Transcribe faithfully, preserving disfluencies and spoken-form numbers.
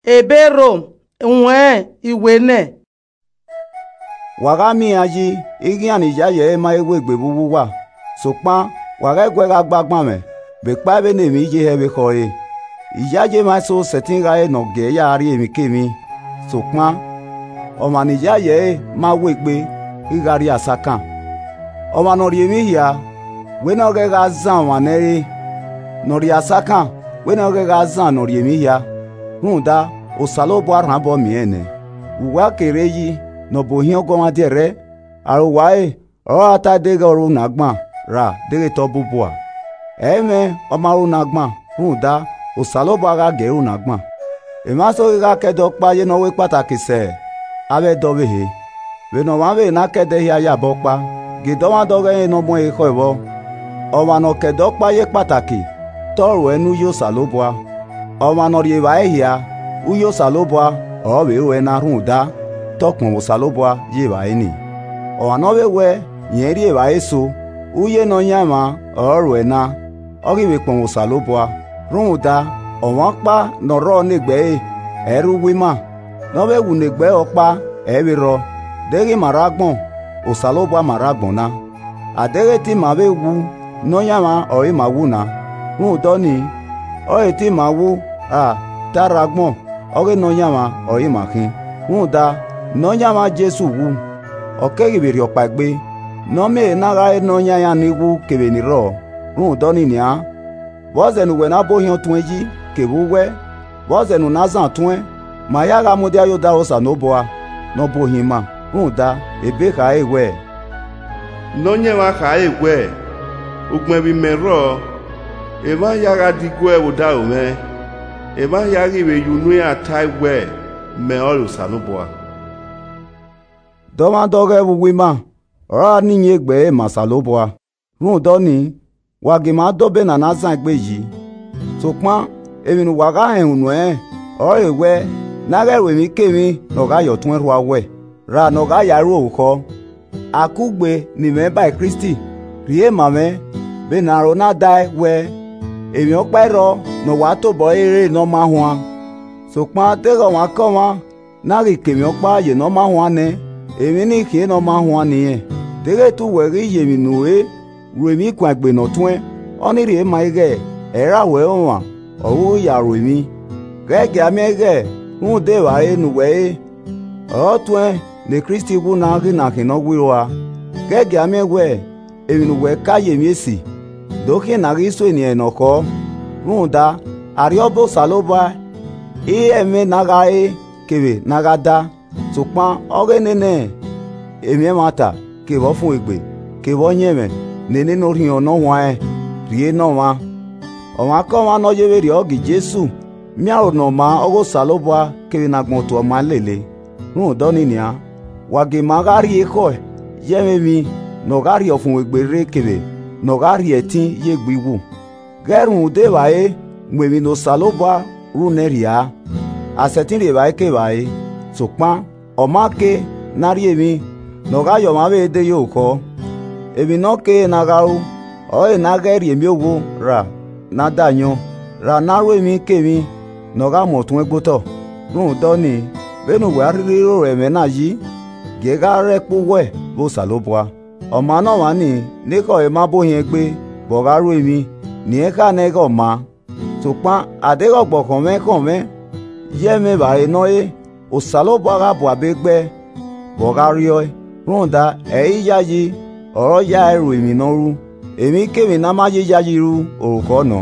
Ebe Rom, uwẹn iwe nẹ. Wa gha miẹn iran yi, ighian ni yayi ẹre ma he wegbe vbe uwu uwa, sokpan wa ghẹ guẹ gha gbe agbanmwẹ vbe ekpa vbene emwi ye hẹ vbe ekhọe. Iyayi emwa eso sẹtin gha re ne ọ gie ya rrie emwikemwi, sokpan ọmwa ne iyayi ẹre ma wegbe ghi gha rrie asakan. Ọmwa ne ọ rrie emwi hia, wẹ ne ọ ghẹ gha zan ọmwa ne ẹ re, ne ọ rrie asakan, wẹ ne ọ ghẹ gha zan ne ọ rrie emwi hia. Rhunmwuda, Osanobua rhan obọ miẹn nẹ. Vbe uwa ke rre yi ne ọ bu ohiẹn ọguọmwadia ẹrrẹ, aro uwa ẹre ọre ọ ra ta deghẹ ọ ru ne agban ra deghẹ te ọ bubua. Ẹ i mwẹ ọ ma ru ne agban, rhunmwuda, Osanobua gha gie ru ne agban. Emwa eso ghi gha ke ẹdẹ ọkpa ye ne ọ ru ekpataki sẹ avbe ẹdẹ ọvbehe, vbene ọmwa vbe ne a ke ẹdẹ hia ye abọ ọkpa, gie dọmwadẹ ọghẹe ne ọ mu ẹre ekhọe vbọ. Ọmwa ne ọ ke ẹdẹ ọkpa ye ekpataki, te ọ ruẹ ne uyi Osanobua. Ọmwa ne ọ rrie evbare hia, uyi Osanobua ọre ọ vbe ruẹ na, rhunmwuda, te ọ kpọnmwẹ Osanobua ye evbare nii. Ọmwa ne ọ vbe wẹ irẹn rrie evbare eso, uyi Nọyaẹnmwa ọre ọ ruẹ na, ọ ghi vbe kpọnmwẹ Osanobua. Rhunmwuda, ọmwa ọkpa ne ọ rrọọ ne egbe ẹre, ẹ i rre uwu ima, ne ọ vbe wu ne egbe ẹre ọkpa, ẹ i vbe rrọọ. Deghẹ ima rre agbọn, Osanobua ma rre agbọn na. A deghẹ te ima vbe wu, Nọyaẹnmwa ọre ima wu na. Rhunmwuda ọnii, ọre te ima wu ra te a rre agbọn, ọghe Nọyaẹnmwa ọre ima khin. Rhunmwuda, Nọyaẹnmwa Jesu wu, ọ keghi vbe rhiọkpaegbe, ne ọ miẹn ehe na gha re ne ọ yan iran ni wu kevbe ni rrọọ. Rhunmwuda ọnii nian, vbọzẹ ne uwẹ na bu ohiẹn ọtuẹn yi kevbe uwẹ, vbọzẹ ne u na zan ọtuẹn, ma hia gha mudia ye odaro Osanobua ne ọ bu ohiẹn ima. Rhunmwuda, ebe khare wẹẹ, Nọyaẹnmwa khare wẹẹ, Ugbẹn vbe imẹ rrọọ, emwa hia gha diguẹ vbe odaro mwẹ, emwa hia ghi vbe ye unu iran tae wẹẹ, Mẹ ọrọre Osanobua. Dọmwadẹ ọghẹe vbe uwu ima ọre ọ ra ne iyẹn egbe ẹre ma Osanobua. Rhunmwuda ọnii, wa gie ma dobọ ena ne a zan egbe yi. Sokpan emwi ne uwa gha họn unu ẹnrẹn ọrọre wẹ, ne a ghẹ ru emwikemwi ne ọ gha ye ọtuẹn rhua uwẹ, ra ne ọ gha ya ru orukhọ. A kugbe ne imẹ ba Kristi rhie ma mwẹ vbene aro na dae wẹ, emwi ọkpa i rrọọ ne ọ wa tobọ ẹre ne ọ ma huan. Sokpan deghẹ ọmwaikọmwa na ghi ke emwi ọkpa ye ne ọ ma huan nẹ, emwi nii khian ne ọ ma huan ne irẹn. Deghẹ te uwẹ ghi ye emwi ne u re ru emwi kuan egbe ne ọ tuẹn, ọnii rhie ma ighẹ ẹ i ra wẹ ọmwa ọre u ya ru emwi. Ghẹ gie a miẹn ighẹ rhunmwuda evbare ne uwẹ re ọre ọ tuẹn ne Kristi wu na ghi na khin ne ọ wiro a. Ghẹ gie a miẹn wẹ emwi ne uwẹ ka ye emwi esi, do khian ne a ghi sue ne irẹn ne ọ khọọ. Rhunmwuda, arriọba Osanobua i re ẹmwẹ ne a gha re kevbe ne a gha da, sokpan ọghe nene emwi ẹmwata kevbe ọfumwegbe kevbe ọyẹnmwẹ ne nene Orhiọn Ne Ọ Huanrẹn rhie ne ọmwa. Ọmwaikọmwa ne ọ ye vberriọ ghe Jesu miẹn aro ne ọ maa ọghe Osanobua kevbe ne agbọn tuẹ ọma lele. Rhunmwuda ọnii nian, wa gie ma gha rrie ekhọe ye ẹmwẹ emwi ne ọ gha rhie ọfumwegbe rre kevbe ne ọ gha rhie ẹtin ye egbe iwu. Ghẹ rhunmwuda evbare mu emwi ne Osanobua ru nẹ rhia, a sẹtin rhie evbare kevbare, sokpan ọ ma kere ne a rhie emwi ne ọ gha ye ọmwa vbe de ye orukhọ. Emwi ne ọ kere ne a gha ru, ọrọre ne a ghẹ rhie emiovwo ra ne a da ayọn, ra ne a ru emwikemwi ne ọ gha mu ọtuẹn gbe otọ. Rhunmwuda ọnii, vbene uwẹ a rhirhi ro ẹmwẹ na yi, gie gha rre ẹkpo uwẹ vbe Osanobua. Ọ maa ne ọmwa nii ne ekhọe ma bu ohiẹn gbe vbe ọ gha ru emwi, ne irẹn kha nẹ ighẹ ọ maa. Sokpan a deghẹ ọgbọ khọnmwẹ khọnmwẹ ye ẹmwẹ evbare ne ọ re, Osanobua gha bu abe gbe vbe ọ gha rriọe, rhunmwuda ẹ i re iyayi ọre ọ ya ẹe ru emwi ne ọ ru. Emwikemwi ne a ma ye iyayi ru, orukhọ nọ.